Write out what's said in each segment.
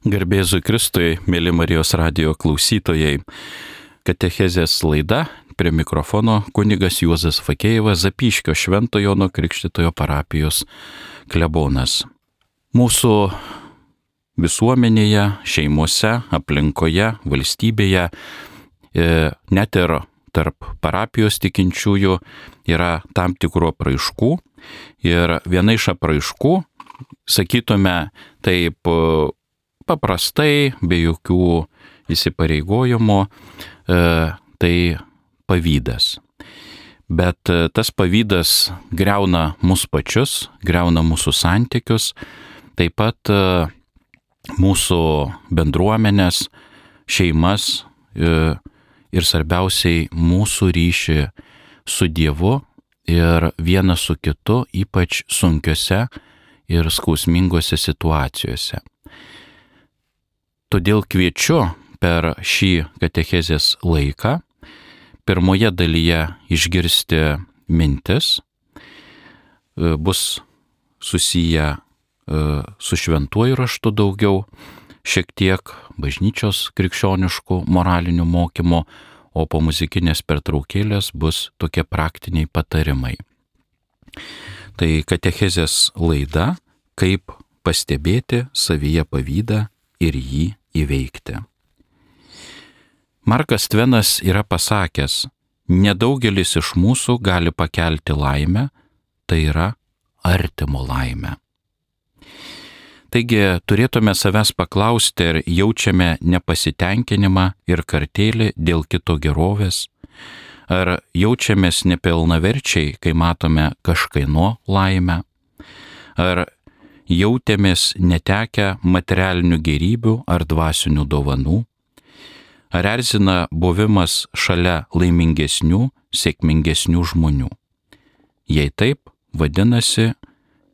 Garbėzui Kristui, mėly Marijos radijo klausytojai, katechezės laida, prie mikrofono kunigas Juozas Fakėjevas, Zapyškio Švento Jono Krikštytojo parapijos klebonas. Mūsų visuomenėje, šeimose, aplinkoje, valstybėje, net ir tarp parapijos tikinčiųjų yra tam tikrų apraiškų ir viena iš apraiškų, sakytume taip paprastai, be jokių įsipareigojimų, tai pavydas. Bet tas pavydas griauna mus pačius, griauna mūsų santykius, taip pat mūsų bendruomenės, šeimas ir svarbiausiai mūsų ryšį su Dievu ir vienas su kitu, ypač sunkiose ir skausmingose situacijose. Todėl kviečiu per šį katechezės laiką pirmoje dalyje išgirsti mintis, bus susiję su šventuoju raštu daugiau, šiek tiek bažnyčios krikščioniškų moralinių mokymų, o po muzikinės pertraukėlės bus tokie praktiniai patarimai. Tai katechezės laida, kaip pastebėti savyje pavydą ir jį įveikti. Markas Tvenas yra pasakęs, nedaugelis iš mūsų gali pakelti laimę, tai yra artimo laimę. Taigi turėtume savęs paklausti, ar jaučiame nepasitenkinimą ir kartėlį dėl kito gerovės, ar jaučiamės nepilnaverčiai, kai matome kažkieno laimę, ar jautėmės netekę materialinių gėrybių ar dvasinių dovanų, ar erzina buvimas šalia laimingesnių, sėkmingesnių žmonių. Jei taip, vadinasi,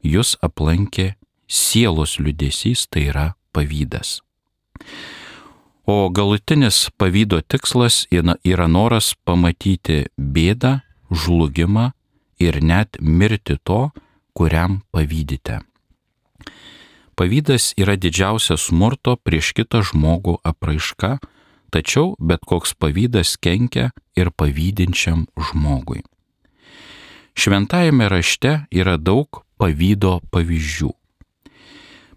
jūs aplankė sielos liūdesys, tai yra pavydas. O galutinis pavydo tikslas yra noras pamatyti bėdą, žlugimą ir net mirti to, kuriam pavydite. Pavydas yra didžiausia smurto prieš kitą žmogų apraiška, tačiau bet koks pavydas kenkia ir pavydinčiam žmogui. Šventajame rašte yra daug pavydo pavyzdžių.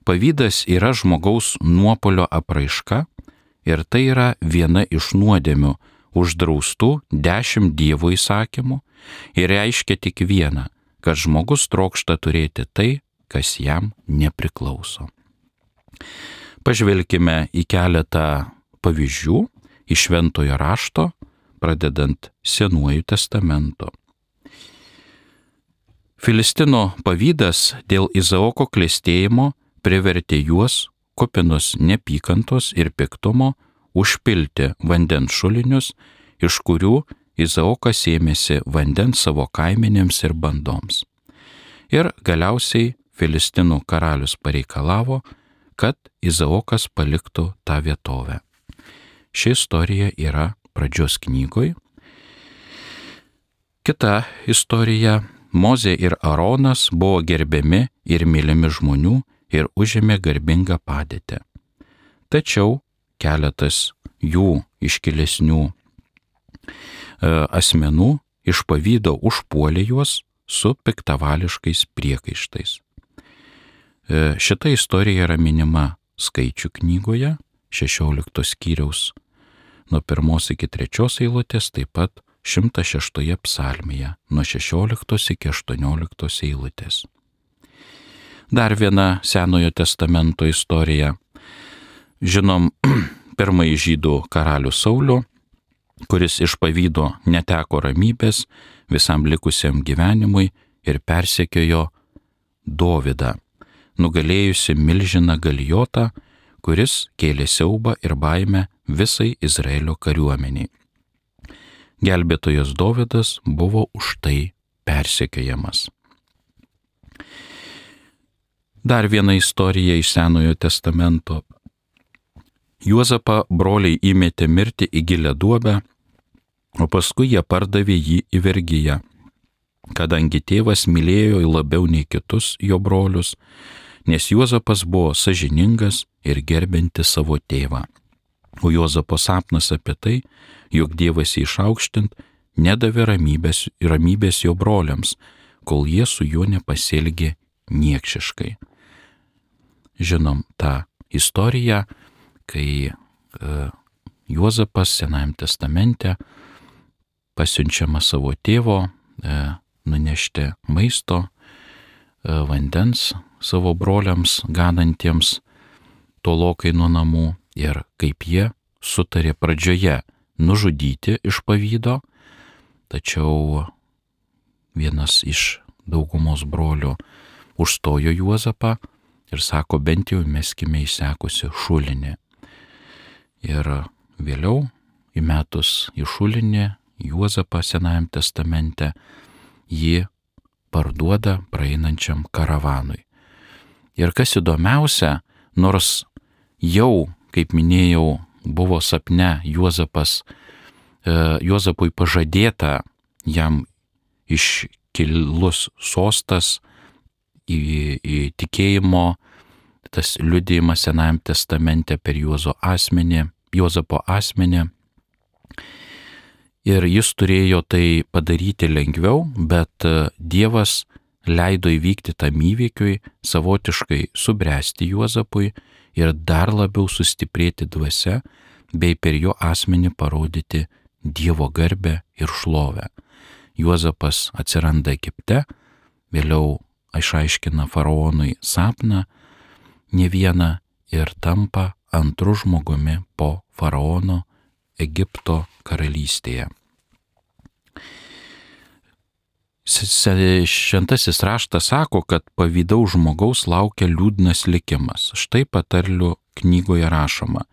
Pavydas yra žmogaus nuopuolio apraiška ir tai yra viena iš nuodėmių uždraustų 10 Dievo įsakymų ir reiškia tik vieną, kad žmogus trokšta turėti tai, kas jam nepriklauso. Pažvelkime į keletą pavyzdžių iš Šventojo rašto, pradedant Senuoju testamento. Filistino pavydas dėl Izaoko klestėjimo privertė juos, kupinus neapykantos ir piktumo, užpilti vandens šulinius, iš kurių Izaokas ėmėsi vandens savo kaimenėms ir bandoms. Ir galiausiai Filistinų karalius pareikalavo, kad Izaokas paliktų tą vietovę. Ši istorija yra Pradžios knygoj. Kita istorija. Mozė ir Aronas buvo gerbiami ir mylimi žmonių ir užėmė garbingą padėtį. Tačiau keletas jų iškilesnių asmenų iš pavydo užpuolė juos su piktavališkais priekaištais. Šita istorija yra minima Skaičių knygoje, 16 skyriaus nuo 1 iki 3 eilutės, taip pat 106 psalmėje nuo 16 iki 18 eilutės. Dar viena Senojo testamento istorija. Žinom pirmąjį žydų karalių Saulių, kuris iš pavydo neteko ramybės visam likusiam gyvenimui ir persekiojo Dovydą, nugalėjusi milžiną Galijotą, kuris kėlė siaubą ir baimę visai Izraelio kariuomeniai. Gelbėtojas Dovydas buvo už tai persekiojamas. Dar viena istorija iš Senojo testamento. Juozapą broliai įmetė mirti į gilią duobę, o paskui jie pardavė jį į vergiją. Kadangi tėvas mylėjo jį labiau nei kitus jo brolius, nes Juozapas buvo sąžiningas ir gerbintis savo tėvą. O Juozapo sapnas apie tai, jog Dievas jį išaukštint, nedavė ramybės jo broliams, kol jie su juo nepasielgė niekšiškai. Žinom tą istoriją, kai Juozapas Senajame testamente pasiunčiama savo tėvo nunešti maisto, vandens savo broliams ganantiems tolokai nuo namų ir kaip jie sutarė pradžioje nužudyti iš pavydo, tačiau vienas iš daugumos brolių užstojo Juozapą ir sako, bent jau meskime įsekusi šulinį. Ir vėliau įmetus į šulinį Juozapą Senajame testamente jį parduoda praeinančiam karavanui. Ir kas įdomiausia, nors jau, kaip minėjau, buvo sapne Juozapui pažadėta jam iškilus sostas į tikėjimo, tas liudijimas Senajame testamente per Juozapo asmenį. Ir jis turėjo tai padaryti lengviau, bet Dievas leido įvykti tam įvykiui, savotiškai subręsti Juozapui ir dar labiau sustiprėti dvasia, bei per jo asmenį parodyti Dievo garbę ir šlovę. Juozapas atsiranda Egipte, vėliau išaiškina faraonui sapną ne vieną ir tampa antru žmogumi po faraono Egipto karalystėje. Šventasis raštas sako, kad pavydaus žmogaus laukia liūdnas likimas. Štai patarlių knygoje rašoma: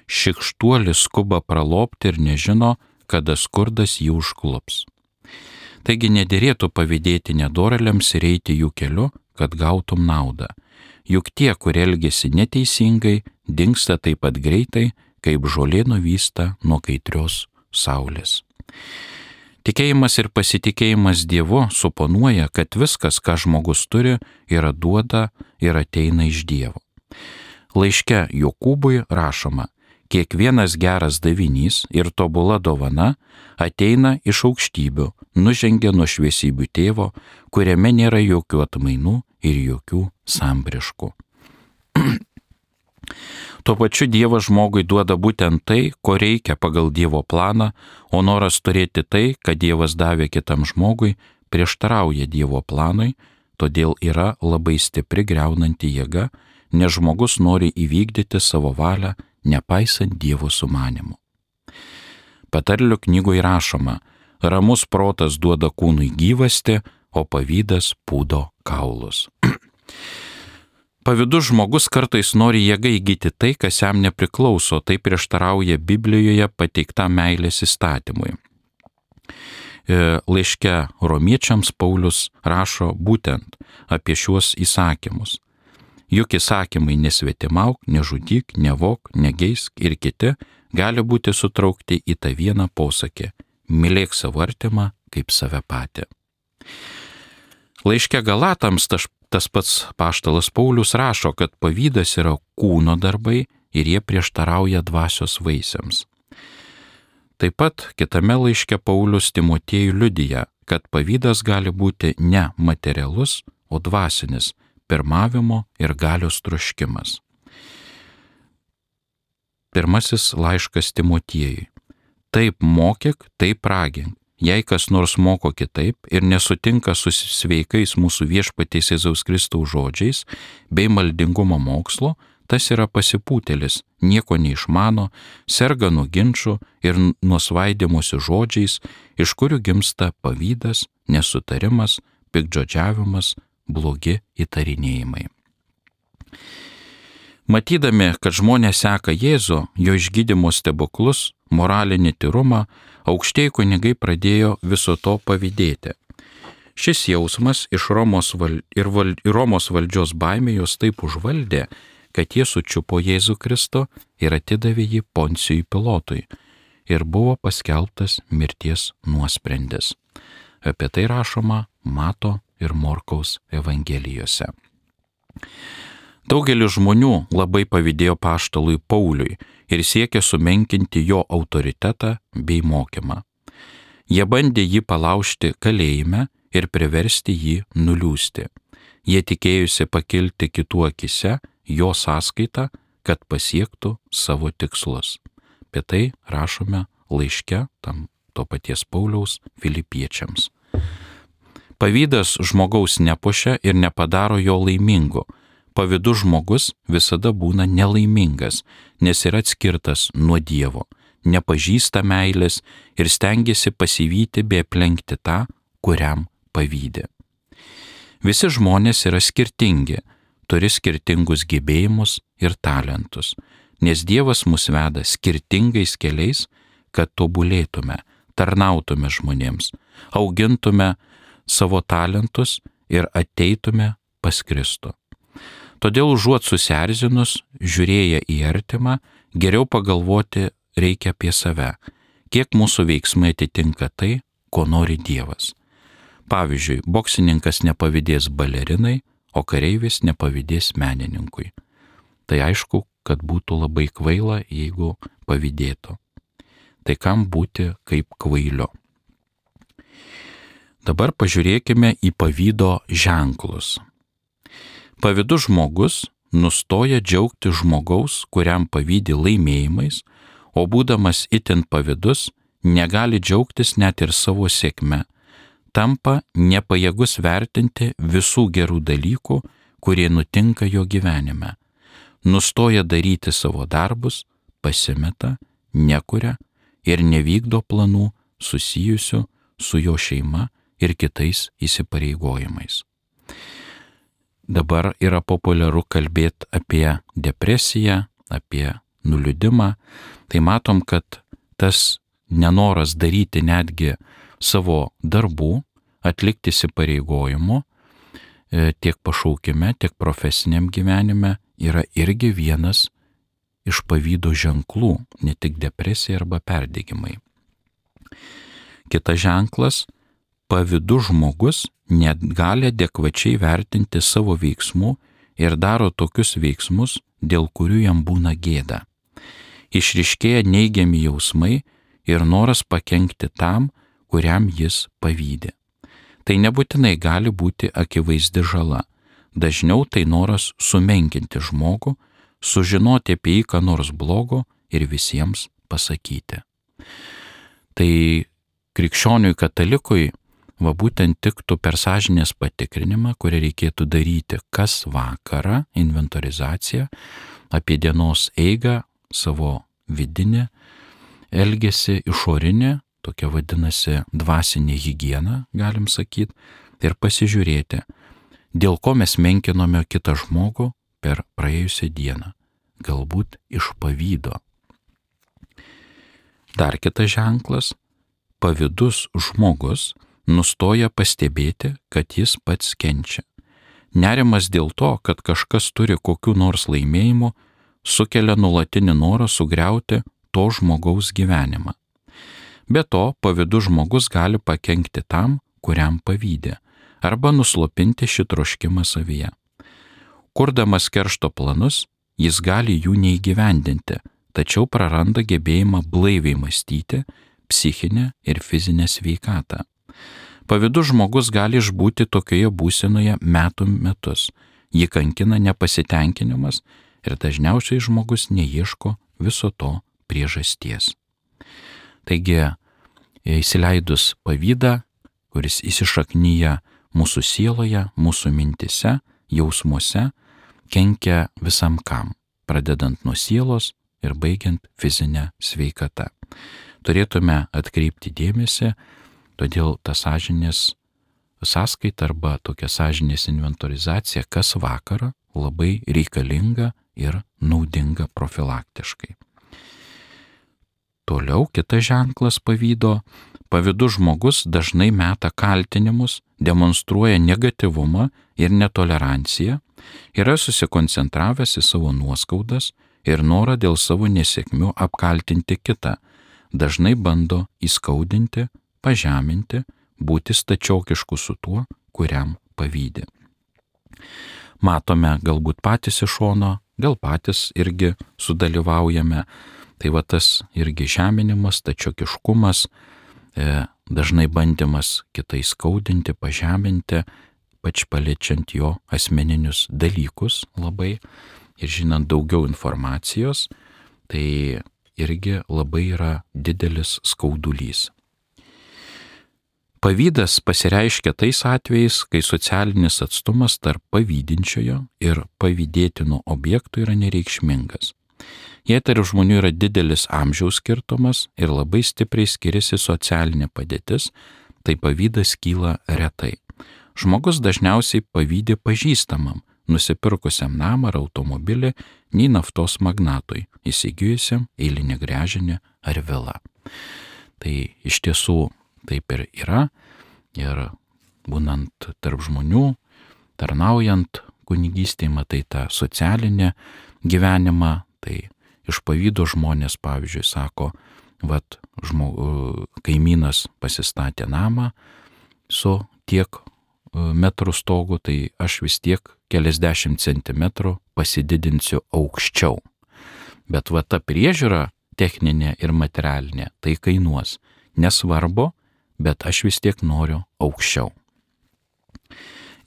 šikštuolis skuba pralobti ir nežino, kada skurdas jį užklups. Taigi nederėtų pavydėti nedorėliams ir eiti jų keliu, kad gautum naudą. Juk tie, kurie elgesi neteisingai, dingsta taip pat greitai, kaip žolė nuvysta nuo kaitrios saulės. Tikėjimas ir pasitikėjimas Dievu suponuoja, kad viskas, ką žmogus turi, yra duota ir ateina iš Dievo. Laiške Jokūbui rašoma: kiekvienas geras davinys ir tobula dovana ateina iš aukštybių, nužengia nuo šviesybių tėvo, kuriame nėra jokių atmainų ir jokių sambriškų. Tuo pačiu Dievas žmogui duoda būtent tai, ko reikia pagal Dievo planą, o noras turėti tai, ką Dievas davė kitam žmogui, prieštarauja Dievo planui, todėl yra labai stipri griaunanti jėga, nes žmogus nori įvykdyti savo valią, nepaisant Dievo sumanimų. Patarlių knygoje rašoma: ramus protas duoda kūnui gyvastį, o pavydas pūdo kaulus. Pavydus žmogus kartais nori jėga įgyti tai, kas jam nepriklauso, tai prieštarauja Biblijoje pateiktam meilės įstatymui. Laiške Romiečiams Paulius rašo būtent apie šiuos įsakymus. Juk įsakymai nesvetimauk, nežudyk, nevok, negeisk ir kiti gali būti sutraukti į tą vieną posakį: mylėk savo artimą kaip save patį. Laiške Galatams tas pats apaštalas Paulius rašo, kad pavydas yra kūno darbai ir jie prieštarauja dvasios vaisiams. Taip pat kitame laiške Paulius Timotiejui liudija, kad pavydas gali būti ne materialus, o dvasinis, pirmavimo ir galios troškimas. Pirmasis laiškas Timotiejui: taip mokyk, taip ragink. Jei kas nors moko kitaip ir nesutinka su sveikais mūsų Viešpaties Jėzaus Kristaus žodžiais bei maldingumo mokslo, tas yra pasipūtėlis, nieko neišmano, serga nuo ginčų ir nuo svaidymosi žodžiais, iš kurių gimsta pavydas, nesutarimas, piktžodžiavimas, blogi įtarinėjimai. Matydami, kad žmonės seka Jėzų, jo išgydymo stebuklus, moralinį tyrumą, aukštieji kunigai pradėjo viso to pavydėti. Šis jausmas iš Romos valdžios baimė juos taip užvaldė, kad jie sučiupo Jėzų Kristų ir atidavė jį Poncijui Pilotui ir buvo paskelbtas mirties nuosprendis. Apie tai rašoma Mato ir Morkaus evangelijose. Daugelis žmonių labai pavydėjo apaštalui Pauliui ir siekė sumenkinti jo autoritetą bei mokymą. Jie bandė jį palaužti kalėjime ir priversti jį nuliūsti. Jie tikėjusi pakilti kitų akise jo sąskaitą, kad pasiektų savo tikslus. Apie tai rašome laiške to paties Pauliaus Filipiečiams. Pavydas žmogaus nepuošia ir nepadaro jo laimingu. Pavydus žmogus visada būna nelaimingas, nes yra atskirtas nuo Dievo, nepažįsta meilės ir stengiasi pasivyti bei aplenkti tą, kuriam pavydė. Visi žmonės yra skirtingi, turi skirtingus gebėjimus ir talentus, nes Dievas mus veda skirtingais keliais, kad tobulėtume, tarnautume žmonėms, augintume savo talentus ir ateitume pas Kristų. Todėl užuot susierzinus, žiūrėję į artimą, geriau pagalvoti reikia apie save, kiek mūsų veiksmai atitinka tai, ko nori Dievas. Pavyzdžiui, boksininkas nepavydės balerinai, o kareivis nepavydės menininkui. Tai aišku, kad būtų labai kvaila, jeigu pavydėtų. Tai kam būti kaip kvailio? Dabar pažiūrėkime į pavydo ženklus. Pavydus žmogus nustoja džiaugti žmogaus, kuriam pavydi laimėjimais, o būdamas itin pavydus, negali džiaugtis net ir savo sėkme, tampa nepajėgus vertinti visų gerų dalykų, kurie nutinka jo gyvenime, nustoja daryti savo darbus, pasimeta, nekuria ir nevykdo planų susijusių su jo šeima ir kitais įsipareigojimais. Dabar yra populiaru kalbėti apie depresiją, apie nuliūdimą. Tai matom, kad tas nenoras daryti netgi savo darbų, atlikti įsipareigojimų tiek pašaukime, tiek profesiniam gyvenime yra irgi vienas iš pavydo ženklų, ne tik depresija arba perdegimai. Kitas ženklas, pavydus žmogus net gali adekvačiai vertinti savo veiksmų ir daro tokius veiksmus, dėl kurių jam būna gėda. Išryškėja neigiami jausmai ir noras pakenkti tam, kuriam jis pavydi. Tai nebūtinai gali būti akivaizdi žala. Dažniau tai noras sumenkinti žmogų, sužinoti apie jį ką nors blogo ir visiems pasakyti. Tai krikščioniui katalikui būtent tiktų per sąžinės patikrinimą, kurį reikėtų daryti kas vakarą, inventorizaciją apie dienos eigą, savo vidinį elgesį, išorinį, tokia vadinasi dvasinė higiena, galim sakyti, ir pasižiūrėti, dėl ko mes menkinome kitą žmogų per praėjusią dieną, galbūt iš pavydo. Dar kitas ženklas, pavydus žmogus nustoja pastebėti, kad jis pats kenčia. Nerimas dėl to, kad kažkas turi kokių nors laimėjimų, sukelia nuolatinį norą sugriauti to žmogaus gyvenimą. Be to, pavydus žmogus gali pakenkti tam, kuriam pavydė, arba nuslopinti šį troškimą savyje. Kurdamas keršto planus, jis gali jų neįgyvendinti, tačiau praranda gebėjimą blaiviai mąstyti, psichinę ir fizinę sveikatą. Pavydus žmogus gali išbūti tokioje būsenoje metų metus. Jį kankina nepasitenkinimas ir dažniausiai žmogus neieško viso to priežasties. Taigi, įsileidus pavydą, kuris įsišaknyja mūsų sieloje, mūsų mintise, jausmuose, kenkia visam kam, pradedant nuo sielos ir baigiant fizinę sveikatą. Turėtume atkreipti dėmesį, todėl ta sąžinės sąskaita arba tokia sąžinės inventorizacija kas vakarą labai reikalinga ir naudinga profilaktiškai. Toliau kitas ženklas pavydo. Pavydus žmogus dažnai meta kaltinimus, demonstruoja negatyvumą ir netoleranciją, yra susikoncentravęs į savo nuoskaudas ir norą dėl savo nesėkmių apkaltinti kitą, dažnai bando įskaudinti, pažeminti, būti stačiokišku su tuo, kuriam pavydi. matome galbūt patys iš šono, gal patys irgi sudalyvaujame. Tai va tas irgi žeminimas, tačiokiškumas, dažnai bandymas kitai skaudinti, pažeminti, pač paliečiant jo asmeninius dalykus labai ir žinant daugiau informacijos, tai irgi labai yra didelis skaudulys. Pavydas pasireiškia tais atvejais, kai socialinis atstumas tarp pavydinčiojo ir pavydėtino objektų yra nereikšmingas. Jei tarp žmonių yra didelis amžiaus skirtumas ir labai stipriai skiriasi socialinė padėtis, tai pavydas kyla retai. Žmogus dažniausiai pavydi pažįstamam, nusipirkusiam namą ar automobilį, nei naftos magnatui, įsigijusiam eilinį gręžinį ar vilą. Tai iš tiesų taip ir yra, ir būnant tarp žmonių, tarnaujant kunigystėje, matai tą socialinį gyvenimą, tai iš pavydo žmonės, pavyzdžiui, sako, vat kaimynas pasistatė namą su tiek metrų stogu, tai aš vis tiek keliasdešimt centimetrų pasididinsiu aukščiau. Bet va ta priežiūra techninė ir materialinė, tai kainuos. Nesvarbu, bet aš vis tiek noriu aukščiau.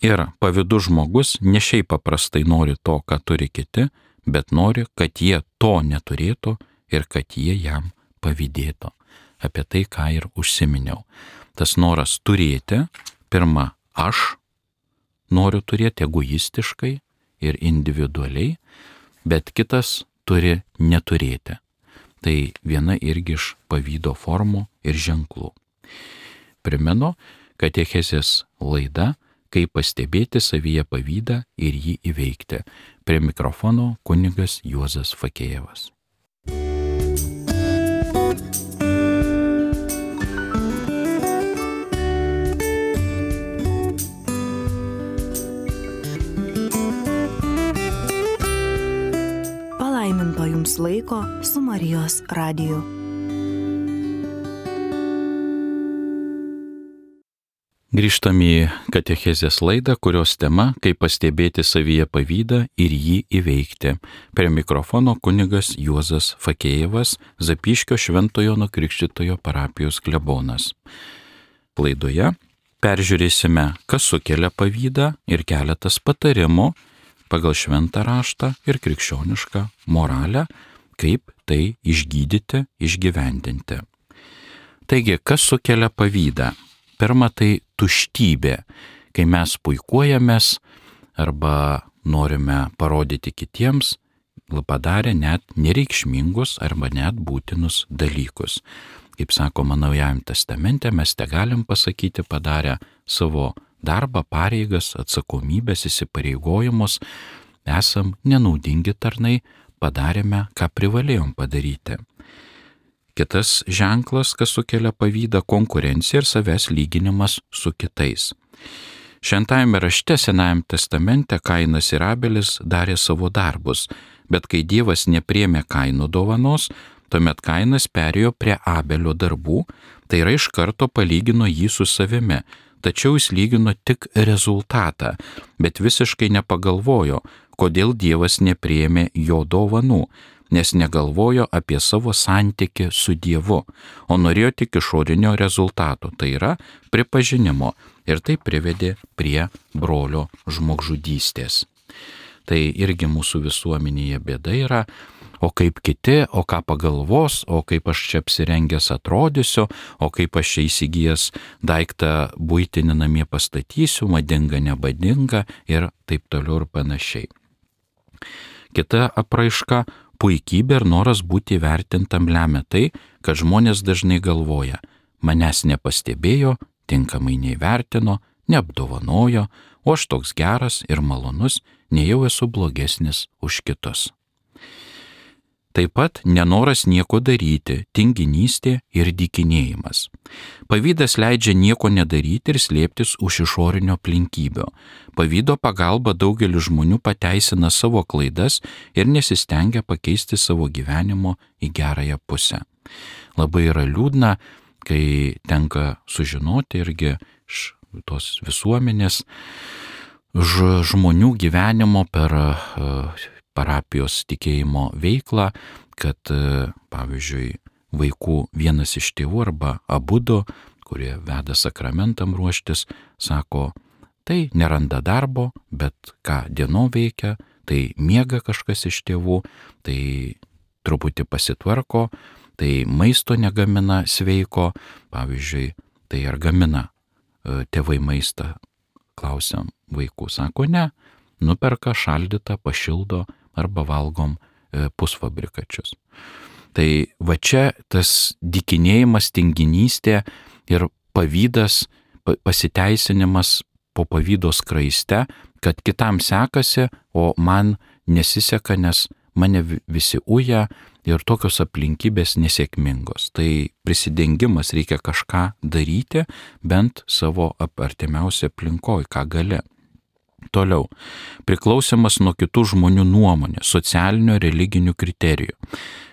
Ir pavydus žmogus ne šiaip paprastai nori to, ką turi kiti, bet nori, kad jie to neturėtų ir kad jie jam pavydėtų. Apie tai, ką ir užsiminiau. Tas noras turėti, pirma, aš noriu turėti egoistiškai ir individualiai, bet kitas turi neturėti. Tai viena irgi iš pavydo formų ir ženklų. Primenu, katechezės laida, kaip pastebėti savyje pavydą ir jį įveikti. Prie mikrofono kunigas Juozas Fakėjevas. Palaiminto jums laiko su Marijos radiju. Grįžtam į katechezės laidą, kurios tema, kaip pastebėti savyje pavydą ir jį įveikti. Prie mikrofono kunigas Juozas Fakėjevas, Zapyškio Šventojo Jono Krikštytojo parapijos klebonas. Laidoje peržiūrėsime, kas sukelia pavydą ir keletas patarimų pagal šventą raštą ir krikščionišką moralę, kaip tai išgydyti, išgyvendinti. Taigi, kas sukelia pavydą? Pirma, tai tuštybė, kai mes puikuojamės arba norime parodyti kitiems, padarę net nereikšmingus arba net būtinus dalykus. Kaip sakoma Naujajame testamente, mes te galim pasakyti padarę savo darbą, pareigas, atsakomybės, įsipareigojimus, esam nenaudingi tarnai, padarėme, ką privalėjom padaryti. Kitas ženklas, kas sukelia pavydą, konkurencija ir savęs lyginimas su kitais. Šventajame rašte Senajame testamente Kainas ir Abelis darė savo darbus, bet kai Dievas nepriėmė Kaino dovanos, tuomet Kainas perėjo prie Abelio darbų, tai yra iš karto palygino jį su savimi, tačiau jis lygino tik rezultatą, bet visiškai nepagalvojo, kodėl Dievas nepriėmė jo dovanų, nes negalvojo apie savo santykį su Dievu, o norėjo tik išorinio rezultato, tai yra pripažinimo, ir tai privedė prie brolio žmogžudystės. Tai irgi mūsų visuomenėje bėda yra, o kaip kiti, o ką pagalvos, o kaip aš čia apsirengęs atrodysiu, o kaip aš čia įsigijęs daiktą buitinį namie pastatysiu, madinga, nebadinga ir taip toliau ir panašiai. Kita apraiška – puikybė ir noras būti vertintam lemia tai, kad žmonės dažnai galvoja, manęs nepastebėjo, tinkamai neįvertino, neapdovanojo, o aš toks geras ir malonus, nejau esu blogesnis už kitus. Taip pat nenoras nieko daryti, tinginystė ir dykinėjimas. Pavydas leidžia nieko nedaryti ir slėptis už išorinio aplinkybių. Pavydo pagalba daugelis žmonių pateisina savo klaidas ir nesistengia pakeisti savo gyvenimo į gerąją pusę. Labai yra liūdna, kai tenka sužinoti irgi iš tos visuomenės, žmonių gyvenimo per parapijos tikėjimo veiklą, kad, pavyzdžiui, vaikų vienas iš tėvų arba abudu, kurie veda sakramentam ruoštis, sako, tai neranda darbo, bet ką dienom veikia, tai miega kažkas iš tėvų, tai truputį pasitvarko, tai maisto negamina sveiko, pavyzdžiui, tai ar gamina tėvai maistą, klausiam vaikų, sako ne, nuperka šaldytą, pašildo arba valgom pusfabrikačius. Tai va čia tas dykinėjimas, tinginystė ir pavydas, pasiteisinimas po pavydo skraiste, kad kitam sekasi, o man nesiseka, nes mane visi uja ir tokios aplinkybės nesėkmingos. Tai prisidengimas, reikia kažką daryti, bent savo artimiausią aplinkoj, ką gali. Toliau, priklausimas nuo kitų žmonių nuomonės, socialinio, religinių kriterijų.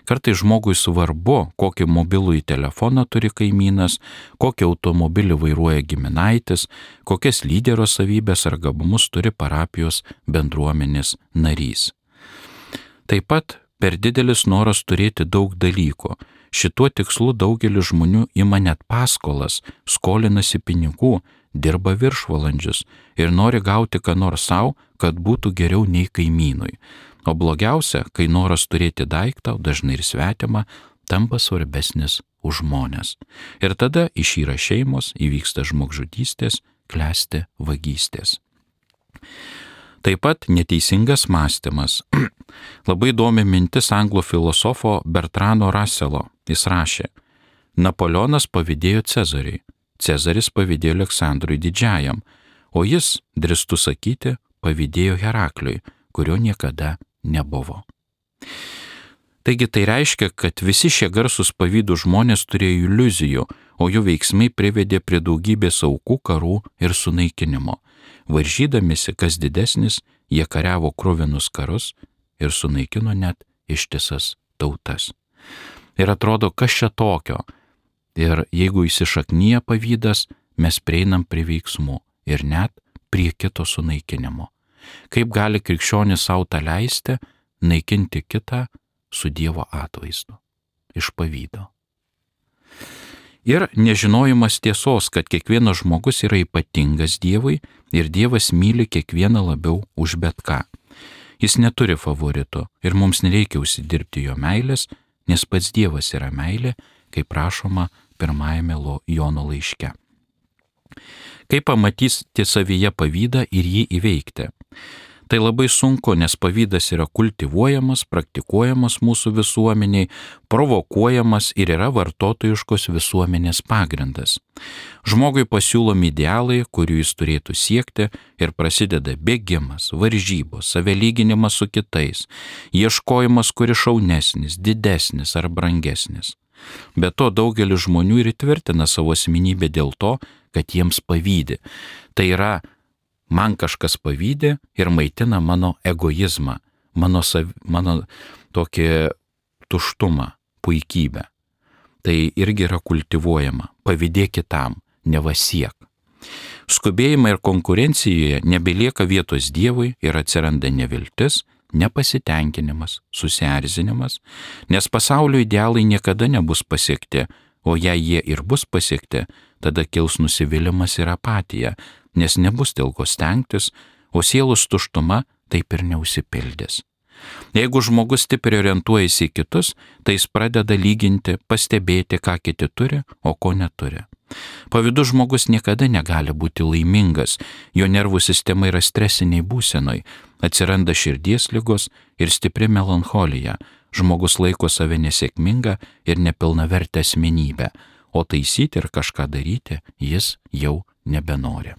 Kartais žmogui svarbu, kokį mobilųjį telefoną turi kaimynas, kokį automobilį vairuoja giminaitis, kokias lyderio savybės ar gabumus turi parapijos bendruomenės narys. Taip pat per didelis noras turėti daug dalykų. Šituo tikslu daugelis žmonių ima net paskolas, skolinasi pinigų, dirba viršvalandžius ir nori gauti ką nors savo, kad būtų geriau nei kaimynui. O blogiausia, kai noras turėti daiktą, dažnai ir svetimą, tampa svarbesnis už žmones. Ir tada išyra šeimos, įvyksta žmogžudystės, klesti vagystės. Taip pat neteisingas mąstymas. Labai įdomi mintis anglų filosofo Bertrando Russelo. Jis rašė, Napoleonas pavydėjo Cezariui, Cezaris pavydėjo Aleksandrui Didžiajam, o jis, drįstu sakyti, pavydėjo Herakliui, kurio niekada nebuvo. Taigi tai reiškia, kad visi šie garsūs pavydų žmonės turėjo iliuzijų, o jų veiksmai privedė prie daugybės aukų, karų ir sunaikinimo. Varžydamisi, kas didesnis, jie kariavo kruvinus karus ir sunaikino net ištisas tautas. Ir atrodo, kas čia tokio? Ir jeigu įsišaknyja pavydas, mes prieinam prie veiksmų ir net prie kito sunaikinimo. Kaip gali krikščionis savo tą leisti, naikinti kitą su Dievo atvaizdu, iš pavydo. Ir nežinojimas tiesos, kad kiekvienas žmogus yra ypatingas Dievui ir Dievas myli kiekvieną labiau už bet ką. Jis neturi favoritų ir mums nereikia užsidirbti jo meilės, nes pats Dievas yra meilė, kaip prašoma pirmajame Jono laiške. Kaip pamatyti savyje pavydą ir jį įveikti? Tai labai sunku, nes pavydas yra kultivuojamas, praktikuojamas mūsų visuomeniai, provokuojamas ir yra vartotojiškos visuomenės pagrindas. Žmogui pasiūlomi idealai, kurių jis turėtų siekti, ir prasideda bėgimas, varžybos, savelyginimas su kitais, ieškojimas, kuris šaunesnis, didesnis ar brangesnis. Be to daugelis žmonių ir įtvirtina savo asmenybę dėl to, kad jiems pavydi. Tai yra, man kažkas pavydi ir maitina mano egoizmą, mano tokį tuštumą, puikybę. Tai irgi yra kultivuojama. Pavydėk kitam, nevasiek. Skubėjimai ir konkurencijoje nebelieka vietos Dievui ir atsiranda neviltis, nepasitenkinimas, susierzinimas, nes pasaulio idealai niekada nebus pasiekti, o jei jie ir bus pasiekti, tada kils nusivylimas ir apatija, nes nebus dėl ko stengtis, o sielos tuštuma taip ir neužsipildys. Jeigu žmogus stipriai orientuojasi į kitus, tai jis pradeda lyginti, pastebėti, ką kiti turi, o ko neturi. Pavydus žmogus niekada negali būti laimingas, jo nervų sistema yra stresiniai būsenoj, atsiranda širdies ligos ir stipri melancholija, žmogus laiko save nesėkmingą ir nepilnavertę asmenybę, o taisyti ir kažką daryti jis jau nebenori.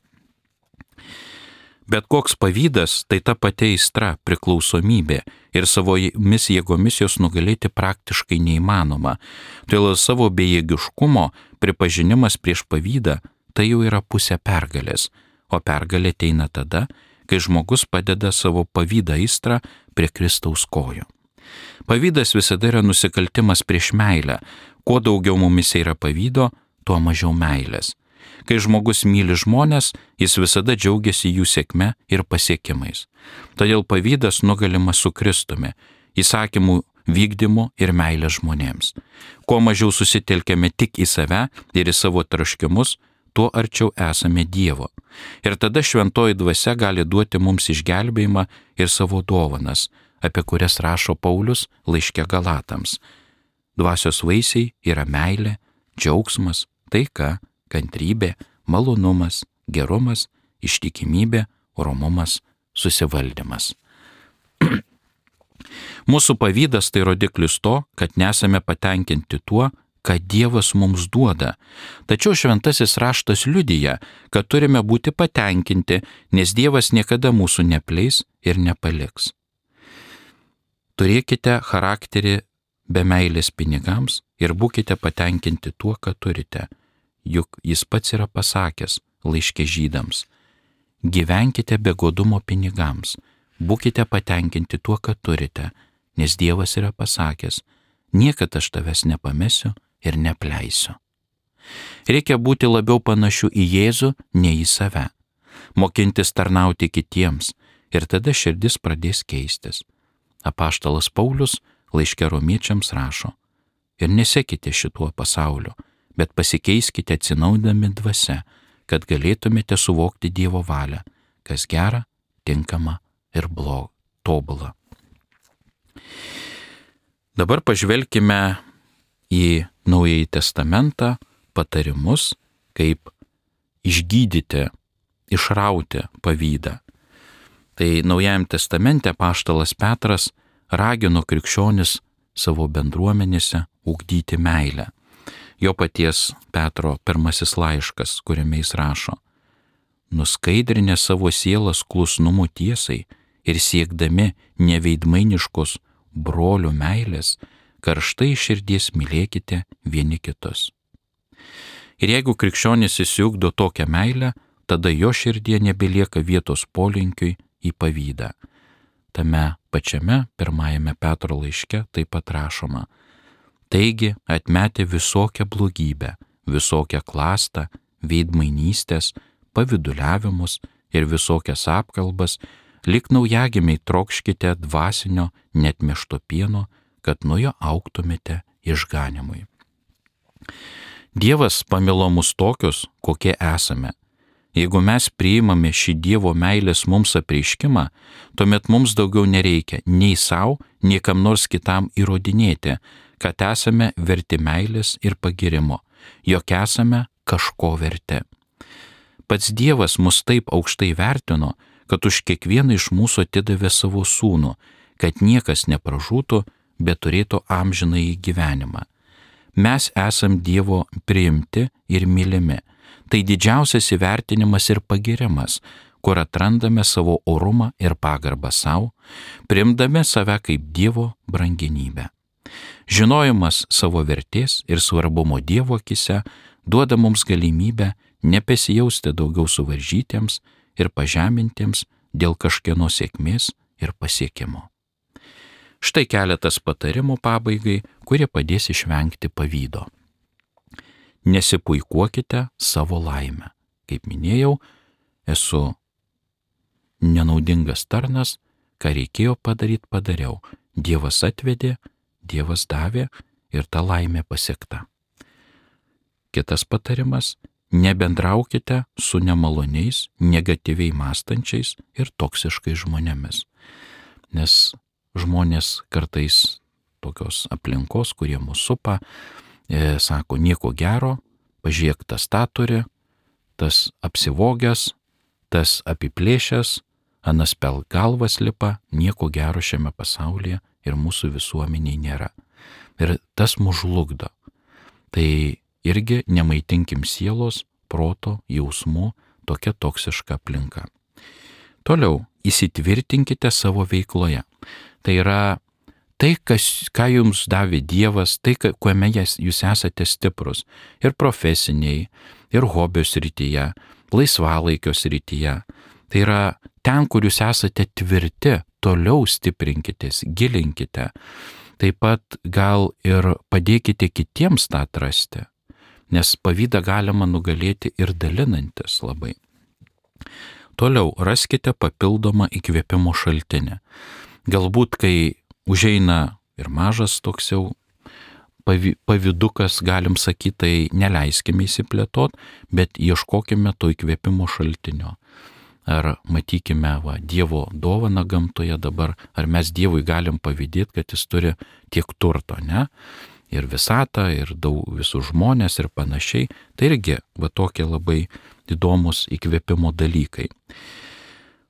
Bet koks pavydas tai ta pati aistra, priklausomybė ir savomis jėgomis jos nugalėti praktiškai neįmanoma. Todėl savo bejėgiškumo pripažinimas prieš pavydą tai jau yra pusė pergalės, o pergalė ateina tada, kai žmogus padeda savo pavydą aistrą prie Kristaus kojų. Pavydas visada yra nusikaltimas prieš meilę. Kuo daugiau mumise yra pavydo, tuo mažiau meilės. Kai žmogus myli žmonės, jis visada džiaugiasi jų sėkme ir pasiekimais. Todėl pavydas nugalimas su Kristumi, įsakymų vykdymu ir meilė žmonėms. Kuo mažiau susitelkėme tik į save ir į savo troškimus, tuo arčiau esame Dievo. Ir tada šventoji dvasia gali duoti mums išgelbėjimą ir savo dovanas, apie kurias rašo Paulius laiške Galatams. Dvasios vaisiai yra meilė, džiaugsmas, taika, kantrybė, malonumas, gerumas, ištikimybė, romumas, susivaldymas. Mūsų pavydas tai rodiklis to, kad nesame patenkinti tuo, ką Dievas mums duoda. Tačiau šventasis raštas liudija, kad turime būti patenkinti, nes Dievas niekada mūsų nepleis ir nepaliks. Turėkite charakterį be meilės pinigams ir būkite patenkinti tuo, ką turite. Juk jis pats yra pasakęs laiške Žydams: gyvenkite be godumo pinigams, būkite patenkinti tuo, ką turite, nes Dievas yra pasakęs: niekad aš tavęs nepamesiu ir nepleisiu. Reikia būti labiau panašiu į Jėzų, nei į save, mokintis tarnauti kitiems, ir tada širdis pradės keistis. Apaštalas Paulius laiške Romiečiams rašo: ir nesekite šituo pasauliu, bet pasikeiskite atsinaujindami dvasia, kad galėtumėte suvokti Dievo valią, kas gera, tinkama ir tobula. Dabar pažvelkime į Naująjį Testamentą patarimus, kaip išgydyti, išrauti pavydą. Tai Naujajam Testamente apaštalas Petras ragino krikščionis savo bendruomenėse ugdyti meilę. Jo paties Petro pirmasis laiškas, kuriame jis rašo: nuskaidrinę savo sielas klusnumu tiesai ir siekdami neveidmainiškos brolių meilės, karštai širdies mylėkite vieni kitus. Ir jeigu krikščionis įsiugdo tokią meilę, tada jo širdie nebelieka vietos polinkiui į pavydą. Tame pačiame pirmajame Petro laiške taip pat rašoma: taigi, atmetę visokią blogybę, visokią klastą, veidmainystės, pavyduliavimus ir visokias apkalbas, lyg naujagimiai trokškite dvasinio neatmiešto pieno, kad nuo jo augtumėte išganimui. Dievas pamilo mus tokius, kokie esame. Jeigu mes priimame šį Dievo meilės mums apreiškimą, tuomet mums daugiau nereikia nei savo, nei kam nors kitam įrodinėti, kad esame verti meilės ir pagirimo, jog esame kažko verti. Pats Dievas mus taip aukštai vertino, kad už kiekvieną iš mūsų atidavė savo sūnų, kad niekas nepražūtų, bet turėtų amžinąjį gyvenimą. Mes esam Dievo priimti ir mylimi. Tai didžiausias įvertinimas ir pagirimas, kur atrandame savo orumą ir pagarbą savo, priimdami save kaip Dievo brangenybę. Žinojimas savo vertės ir svarbumo Dievo akise duoda mums galimybę nepasijausti daugiau suvaržytiems ir pažemintiems dėl kažkieno sėkmės ir pasiekimo. Štai keletas patarimų pabaigai, kurie padės išvengti pavydo. Nesipuikuokite savo laimę. Kaip minėjau, esu nenaudingas tarnas, ką reikėjo padaryti, padariau. Dievas atvedė, Dievas davė ir ta laimė pasiekta. Kitas patarimas: nebendraukite su nemaloniais, negatyviai mąstančiais ir toksiškais žmonėmis. Nes žmonės kartais tokios aplinkos, kurie mus supa, sako: nieko gero, pažiūrėk, tas tą turi, tas apsivogęs, tas apiplėšęs, anas pel galvas lipa, nieko gero šiame pasaulyje ir mūsų visuomeniai nėra. Ir tas mus žlugdo. Tai irgi nemaitinkim sielos, proto, jausmų tokia toksiška aplinka. Toliau, įsitvirtinkite savo veikloje. Tai yra tai, ką jums davė Dievas, tai, kuome jūs esate stiprus. Ir profesiniai, ir hobio srityje, laisvalaikio srityje. Tai yra ten, kur jūs esate tvirti, toliau stiprinkitės, gilinkite. Taip pat gal ir padėkite kitiems tą atrasti. nes pavydą galima nugalėti ir dalinantis labai. Toliau raskite papildomą įkvėpimo šaltinį. Galbūt, kai užeina ir mažas toks jau pavydukas, galim sakyti, tai neleiskime įsiplėtot, bet ieškokime to įkvėpimo šaltinio. Ar matykime Dievo dovaną gamtoje dabar, ar mes Dievui galim pavydėti, kad jis turi tiek turto, ne? Ir visatą, ir daug visų žmonės ir panašiai. Tai irgi tokie labai įdomus įkvėpimo dalykai.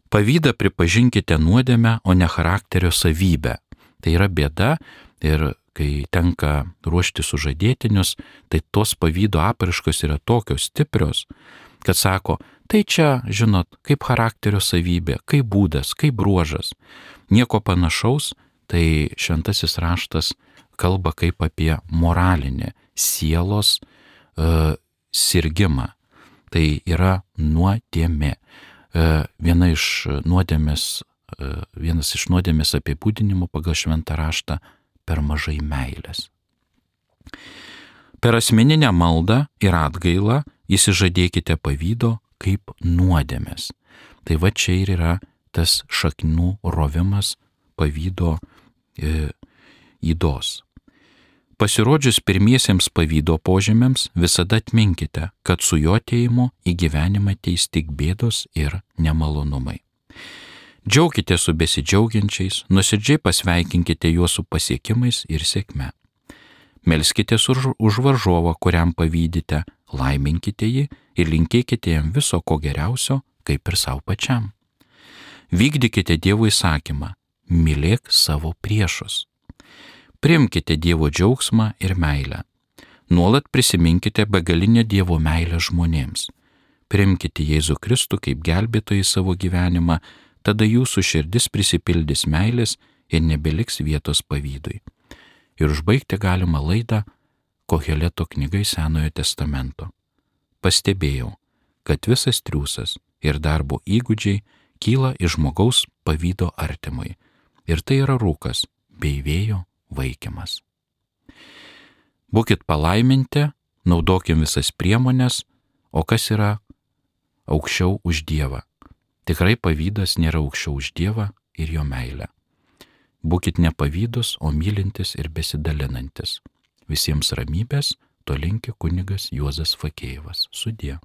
Pavydą pripažinkite nuodėmę, o ne charakterio savybę. Tai yra bėda ir kai tenka ruošti sužadėtinius, tai tos pavydo apraiškos yra tokios stiprios, kad sako, tai čia, žinot, kaip charakterio savybė, kaip būdas, kaip bruožas. Nieko panašaus, tai šventasis raštas kalba kaip apie moralinį sielos sirgimą. Tai yra nuodėmė. Vienas iš nuodėmės apibūdinimų pagal šventą raštą per mažai meilės. Per asmeninę maldą ir atgailą įsižadėkite pavydo kaip nuodėmės. Tai čia ir yra tas šaknų rovimas pavydo ydos. Pasirodžius pirmiesiems pavydo požymiams, visada atminkite, kad su jo atėjimu į gyvenimą ateis tik bėdos ir nemalonumai. Džiaukite su besidžiaugiančiais, nuoširdžiai pasveikinkite juos su pasiekimais ir sėkme. Melskitės už varžovą, kuriam pavydite, laiminkite jį ir linkėkite jam viso ko geriausio, kaip ir savo pačiam. Vykdykite Dievo įsakymą, mylėk savo priešus. Priimkite Dievo džiaugsmą ir meilę. Nuolat prisiminkite begalinę Dievo meilę žmonėms. Priimkite Jėzų Kristų kaip gelbėtoją į savo gyvenimą, tada jūsų širdis prisipildys meilės ir nebeliks vietos pavydui. Ir užbaigti galima laidą Koheleto knygai Senojo testamento. Pastebėjau, kad visas triūsas ir darbo įgūdžiai kyla iš žmogaus pavydo artimui. Ir tai yra rūkas bei vėjo vaikymas. Būkit palaiminti, naudokim visas priemonės, o kas yra aukščiau už Dievą? Tikrai pavydas nėra aukščiau už Dievą ir jo meilę. Būkit nepavydus, o mylintis ir besidalinantis. Visiems ramybės, to linki kunigas Juozas Fakėjevas. Sudie.